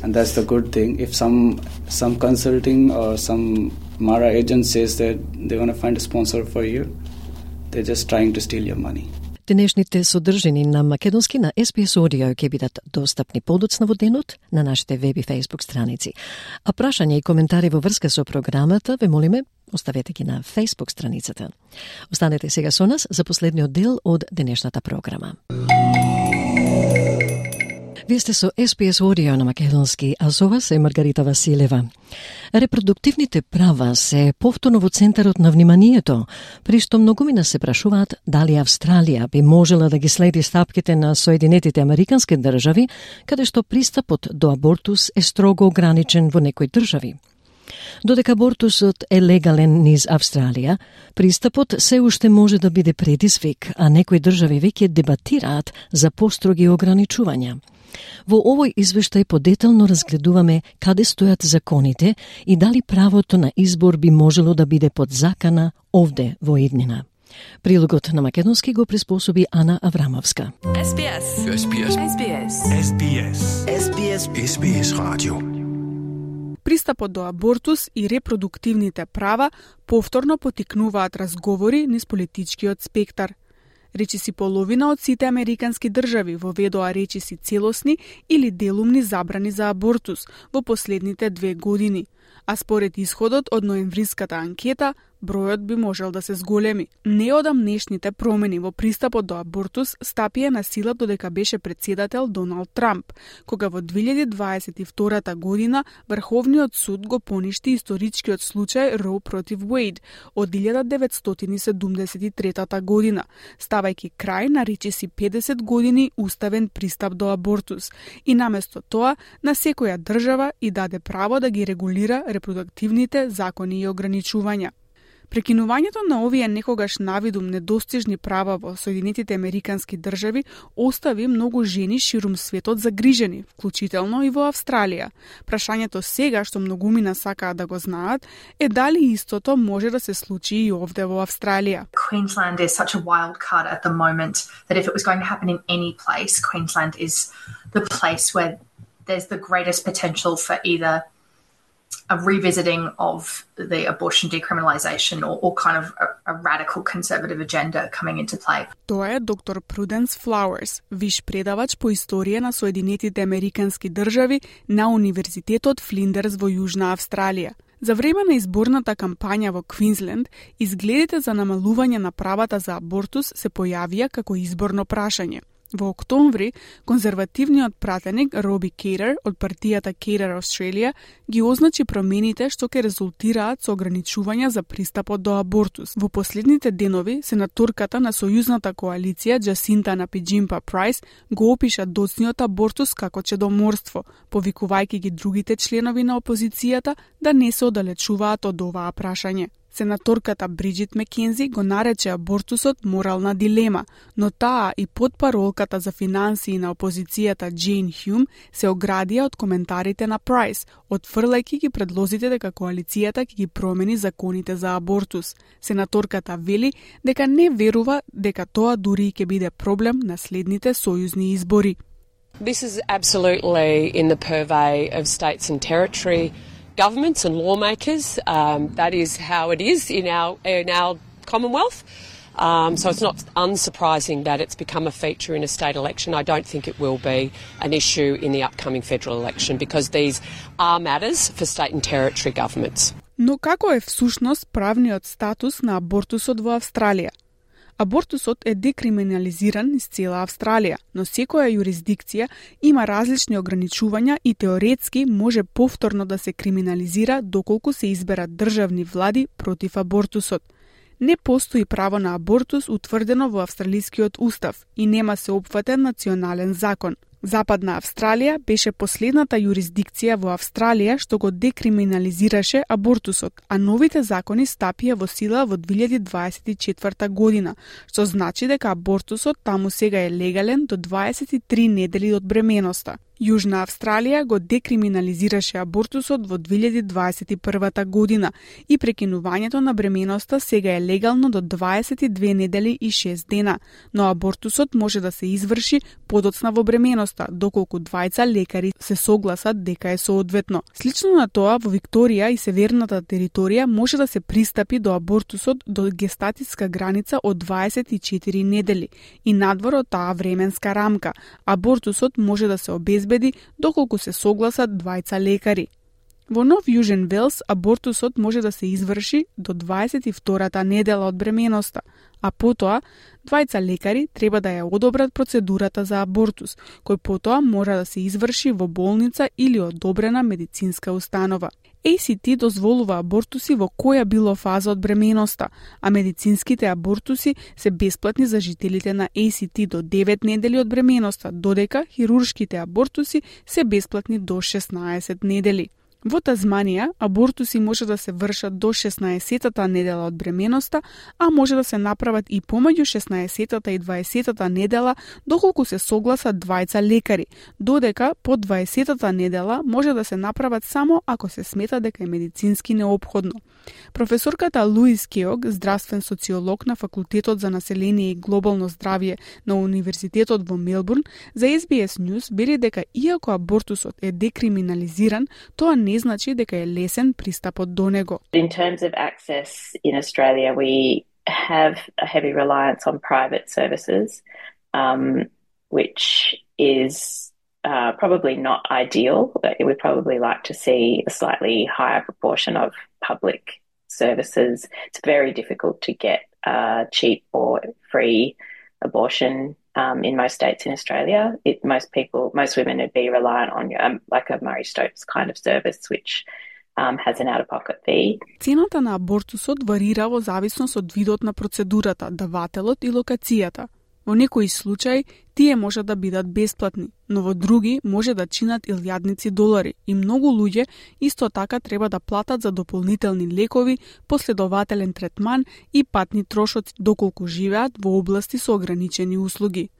and that's the good thing. If some consulting or some MARA agent says that they're going to find a sponsor for you, they're just trying to steal your money. Денешните содржини на македонски на SBS Audio ќе бидат достапни подоцна во денот на нашите веб и Facebook страници. А прашања и коментари во врска со програмата ве молиме, оставете ги на Facebook страницата. Останете сега со нас за последниот дел од денешната програма. Вие сте со SBS Audio на македонски, а со вас е Маргарита Василева. Репродуктивните права се повторно во центарот на вниманието, при што многумина се прашуваат дали Австралија би можела да ги следи стапките на Соединетите Американски држави, каде што пристапот до абортус е строго ограничен во некои држави. Додека абортусот е легален низ Австралија, пристапот се уште може да биде предизвик, а некои држави веќе дебатираат за построги ограничувања. Во овој извештај подетално разгледуваме каде стојат законите и дали правото на избор би можело да биде под закана овде во иднина. Прилогот на македонски го приспособи Ана Аврамовска. SBS. SBS. SBS. SBS. SBS. SBS Radio. Пристапот до абортус и репродуктивните права повторно потикнуваат разговори низ политичкиот спектар. Речиси половина од сите американски држави воведоа речиси целосни или делумни забрани за абортус во последните 2 години, а според исходот од ноемвриската анкета, бројот би можел да се зголеми. Неодамнешните промени во пристапот до абортус стапија на сила додека беше председател Доналд Трамп, кога во 2022 година Врховниот суд го поништи историчкиот случај Роу против Уейд од 1973 година, ставајќи крај на речиси 50 години уставен пристап до абортус и наместо тоа на секоја држава и даде право да ги регулира репродуктивните закони и ограничувања. Прекинувањето на овие некогаш навидум недостижни права во Соединетите Американски држави остави многу жени ширум светот загрижени, вклучително и во Австралија. Прашањето сега што многумина сакаат да го знаат е дали истото може да се случи и овде во Австралија. Queensland is such a wild card at the moment that if it was going to happen in any place, Queensland is the place where there's the greatest potential for either a revisiting of the abortion decriminalisation or kind of a radical conservative agenda coming into play. Тоа е доктор Пруденс Флауерс, виш предавач по историја на Соединетите Американски држави на Универзитетот Флиндерс во Јужна Австралија. За време на изборната кампања во Квинсленд, изгледите за намалување на правата за абортус се појавија како изборно прашање. Во октомври, конзервативниот пратеник Роби Кейтер од партијата Кейтер Australia ги означи промените што ќе резултираат со ограничувања за пристапот до абортус. Во последните денови, сенаторката на сојузната коалиција Джасинта Напиџимпа Прайс го опиша доцниот абортус како чедоморство, повикувајќи ги другите членови на опозицијата да не се оддалечуваат од оваа прашање. Сенаторката Бриджит Мекензи го нарече абортусот морална дилема, но таа и потпаролката за финансии на опозицијата Джейн Хјум се оградија од коментарите на Прайс, отфрлајќи ги предлозите дека коалицијата ќе ги промени законите за абортус. Сенаторката вели дека не верува дека тоа дури ќе биде проблем на следните сојузни избори. This is absolutely in the purvey of states and territory governments and lawmakers. That is how it is in our Commonwealth. So it's not unsurprising that it's become a feature in a state election. I don't think it will be an issue in the upcoming federal election because these are matters for state and territory governments. Но како е всушност правниот статус на абортусот во Австралија? Абортусот е декриминализиран низ цела Австралија, но секоја юрисдикција има различни ограничувања и теоретски може повторно да се криминализира доколку се изберат државни влади против абортусот. Не постои право на абортус утврдено во австралискиот устав и нема се опфатен национален закон. Западна Австралија беше последната юрисдикција во Австралија што го декриминализираше абортусот, а новите закони стапија во сила во 2024 година, што значи дека абортусот таму сега е легален до 23 недели од бременоста. Јужна Австралија го декриминализираше абортусот во 2021 година и прекинувањето на бременоста сега е легално до 22 недели и 6 дена, но абортусот може да се изврши подоцна во бременоста, доколку двајца лекари се согласат дека е соодветно. Слично на тоа, во Викторија и Северната територија може да се пристапи до абортусот до гестатиска граница од 24 недели и надвор од таа временска рамка. Абортусот може да се обезбеди доколку се согласат двајца лекари. Во Нов Јужен Велс абортусот може да се изврши до 22-та недела од бременоста, а потоа двајца лекари треба да ја одобрат процедурата за абортус, кој потоа мора да се изврши во болница или одобрена медицинска установа. ACT дозволува абортуси во која било фаза од бременоста, а медицинските абортуси се бесплатни за жителите на ACT до 9 недели од бременоста, додека хируршките абортуси се бесплатни до 16 недели. Во Тазманија, абортуси може да се вршат до 16-та недела од бременоста, а може да се направат и помеѓу 16-та и 20-та недела, доколку се согласат двајца лекари, додека по 20-та недела може да се направат само ако се смета дека е медицински неопходно. Професорката Луис Кеог, здравствен социолог на Факултетот за население и глобално здравје на Универзитетот во Мелбурн, за SBS News вели дека иако абортусот е декриминализиран, тоа не значи дека е лесен пристапот до него. In terms of access in Australia, we have a heavy reliance on private services, which is probably not ideal. We'd probably like to see a slightly higher proportion of public services. It's very difficult to get cheap or free abortion in most states in Australia. Most women would be reliant on like a Murray Stokes kind of service, which has an out-of-pocket fee. Цената на абортусот варира во зависност од видот на процедурата, давателот и локацијата. Во некои случаи тие може да бидат бесплатни, но во други може да чинат илјадници долари и многу луѓе исто така треба да платат за дополнителни лекови, последователен третман и патни трошоци доколку живеат во области со ограничени услуги.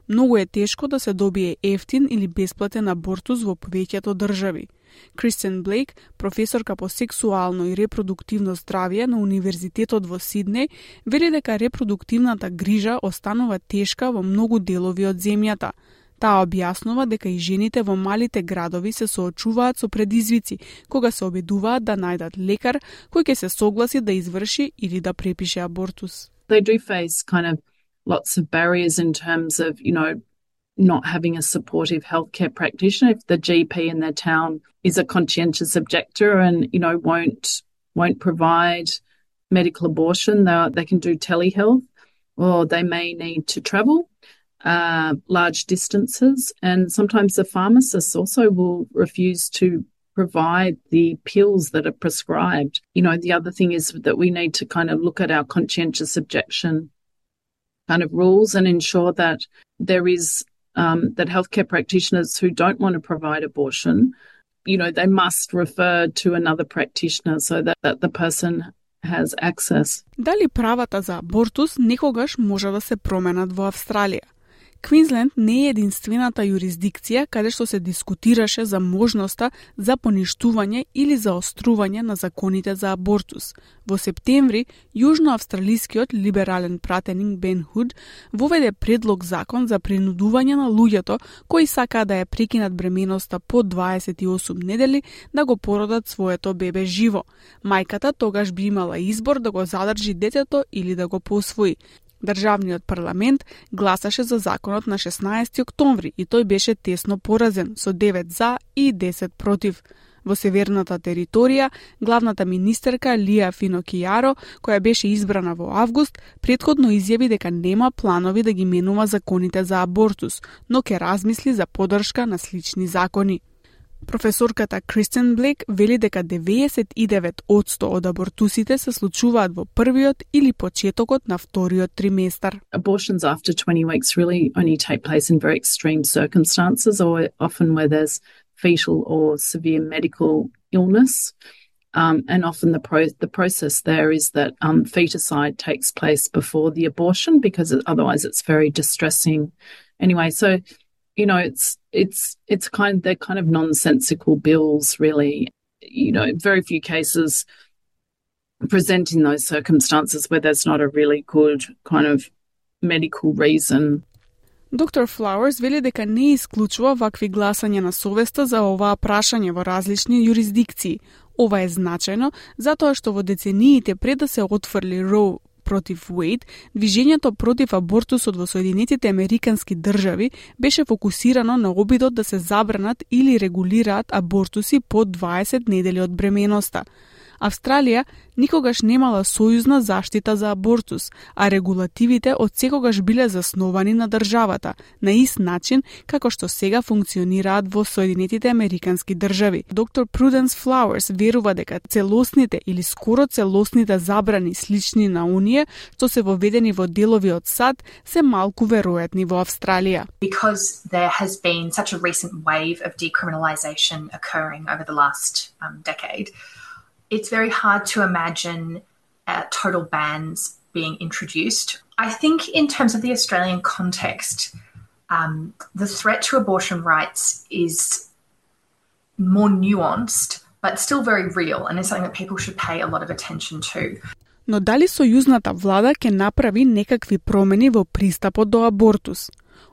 Многу е тешко да се добие ефтин или бесплатен абортус во повеќето држави. Кристен Блейк, професорка по сексуално и репродуктивно здравје на Универзитетот во Сиднеј, вели дека репродуктивната грижа останува тешка во многу делови од земјата. Таа објаснува дека и жените во малите градови се соочуваат со предизвици кога се обидуваат да најдат лекар кој ќе се согласи да изврши или да препише абортус. They do face kind of lots of barriers in terms of, not having a supportive healthcare practitioner. If the GP in their town is a conscientious objector and, won't provide medical abortion, they can do telehealth, or they may need to travel large distances. And sometimes the pharmacists also will refuse to provide the pills that are prescribed. The other thing is that we need to kind of look at our conscientious objection kind of rules and ensure that there is that healthcare practitioners who don't want to provide abortion, they must refer to another practitioner so that the person has access. Дали правата за абортус некогаш може да се променат во Австралија? Квинсленд не е единствената юрисдикција каде што се дискутираше за можноста за поништување или заострување на законите за абортус. Во септември, јужноавстралискиот либерален пратеник Бен Худ воведе предлог закон за принудување на луѓето кои сакаат да ја прекинат бременоста по 28 недели да го породат своето бебе живо. Мајката тогаш би имала избор да го задржи детето или да го посвои. Државниот парламент гласаше за законот на 16 октомври и тој беше тесно поразен со 9 за и 10 против. Во северната територија, главната министерка Лија Финокијаро, која беше избрана во август, претходно изјави дека нема планови да ги менува законите за абортус, но ќе размисли за поддршка на слични закони. Професорката Кристен Блейк вели дека 99% од абортусите се случуваат во првиот или почетокот на вториот триместар. Abortions after 20 weeks really only take place in very extreme circumstances, or often where there's fetal or severe medical illness. And often the process there is that feticide takes place before the abortion because otherwise it's very distressing. Anyway, so they're kind of nonsensical bills, really. Very few cases present in those circumstances where there's not a really good kind of medical reason. Доктор Флауерс вели дека не исклучува вакви гласање на совеста за оваа прашање во различни юрисдикции. Ова е значајно затоа што во децениите пред да се отфрли Роу против Уейд, движењето против абортусот во Соединетите Американски држави беше фокусирано на обидот да се забранат или регулираат абортуси по 20 недели од бременоста. Австралија никогаш немала сојузна заштита за абортус, а регулативите одсекогаш биле засновани на државата, на ист начин како што сега функционираат во Соединетите Американски држави. Доктор Пруденс Флауерс верува дека целосните или скоро целосните забрани слични на оние што се воведени во делови од САД се малку веројатни во Австралија. Because there has been such a recent wave of decriminalisation occurring over the last decade, it's very hard to imagine total bans being introduced. I think in terms of the Australian context, the threat to abortion rights is more nuanced, but still very real, and is something that people should pay a lot of attention to. Но дали сојузната влада ќе направи некакви промени во пристапот до абортус?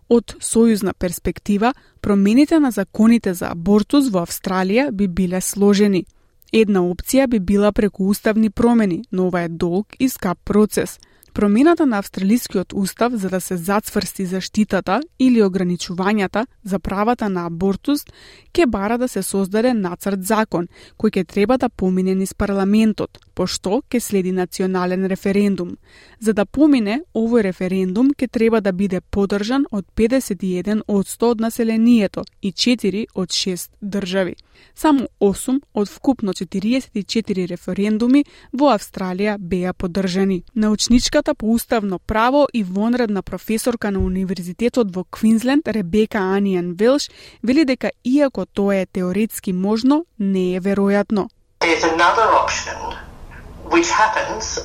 Од сојузна перспектива, промените на законите за абортус во Австралија би биле сложени. Една опција би била преку уставни промени, но ова е долг и скап процес. Промената на австралискиот устав за да се зацврсти заштитата или ограничувањата за правата на абортус ќе бара да се создаде нацрт закон кој ќе треба да помине низ парламентот, пошто ќе следи национален референдум. За да помине, овој референдум ќе треба да биде поддржан од 51% од населението и 4 од 6 држави. Само 8 од вкупно 44 референдуми во Австралија беа поддржани. Научничката по уставно право и вонредна професорка на Универзитетот во Квинсленд Ребека Аниан Велш вели дека иако тоа е теоретски можно, не е веројатно. There's another option which happens,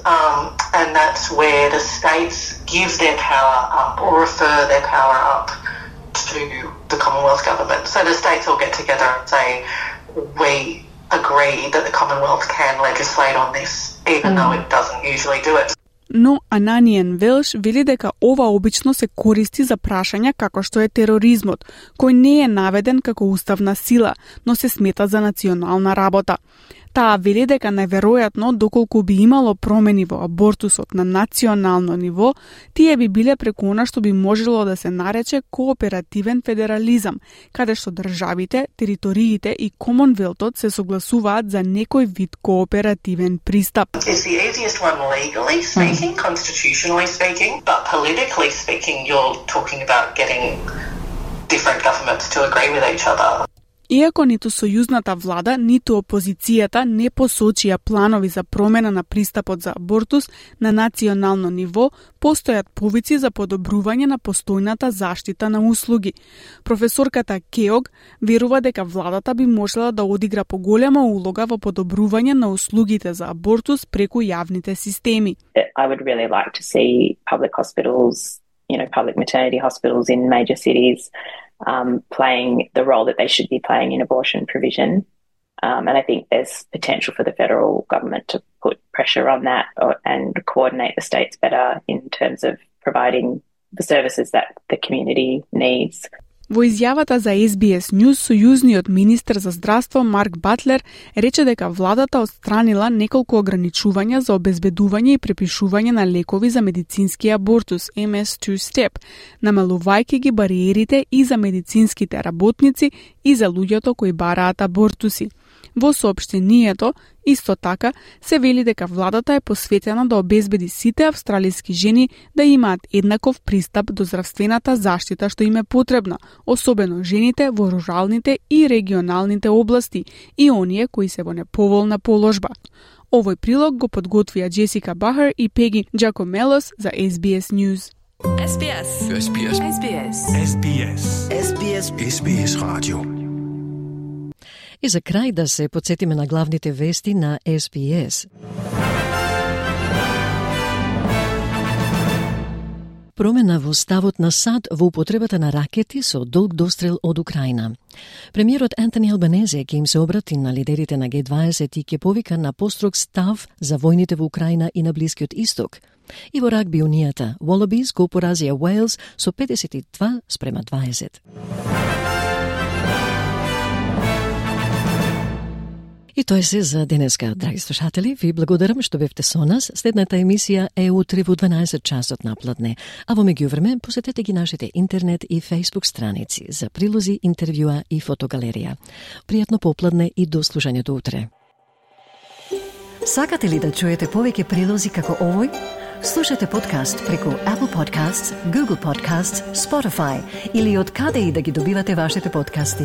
and that's where the states give their power up or refer their power up to the Commonwealth government. So the states all get together and say, we agree that the Commonwealth can legislate on this, even though it doesn't usually do it. Но Ананиен Велш вели дека ова обично се користи за прашања како што е тероризмот, кој не е наведен како уставна сила, но се смета за национална работа. Таа вели дека неверојатно доколку би имало промени во абортусот на национално ниво, тие би биле преку она што би можело да се нарече кооперативен федерализам, каде што државите, териториите и Комонвелтот се согласуваат за некој вид кооперативен пристап. It's the easiest one legally speaking, constitutionally speaking, but politically speaking, you're talking about getting different governments to agree with each other. Иако ниту сојузната влада, ниту опозицијата не посочија планови за промена на пристапот за абортус на национално ниво, постојат повици за подобрување на постојната заштита на услуги. Професорката Кеог верува дека владата би можела да одигра поголема улога во подобрување на услугите за абортус преку јавните системи. I would really like to see public hospitals, public maternity hospitals in major cities playing the role that they should be playing in abortion provision. And I think there's potential for the federal government to put pressure on that and coordinate the states better in terms of providing the services that the community needs. Во изјавата за SBS News, сојузниот министер за здравство Марк Батлер рече дека владата отстранила неколку ограничувања за обезбедување и препишување на лекови за медицински абортус MS2 Step, намалувајќи ги бариерите и за медицинските работници и за луѓето кои бараат абортуси. Во соопштението, исто така, се вели дека владата е посветена да обезбеди сите австралиски жени да имаат еднаков пристап до здравствената заштита што им е потребна, особено жените во руралните и регионалните области и оние кои се во неповолна положба. Овој прилог го подготвија Джесика Бахар и Пеги Джакомелос за SBS News. SBS. SBS. SBS. SBS. SBS. SBS Radio. И за крај да се подсетиме на главните вести на SBS. Промена во ставот на САД во употребата на ракети со долг дострел од Украина. Премиерот Антони Албанезе ќе им се обрати на лидерите на G20 и ќе повика на построг став за војните во Украина и на Блискиот Исток. И во рагби унијата, Wallabies го поразија Уелс со 52-20. И тоа е се за денеска, драги слушатели. Ви благодарам што бевте со нас. Следната емисија е утре во 12 часот напладне. А во меѓувреме посетете ги нашите интернет и Facebook страници за прилози, интервјуа и фотогалерија. Пријатно попладне и до слушањето утре. Сакате ли да чуете повеќе прилози како овој? Слушате подкаст преку Apple Podcasts, Google Podcasts, Spotify или од каде и да ги добивате вашите подкасти.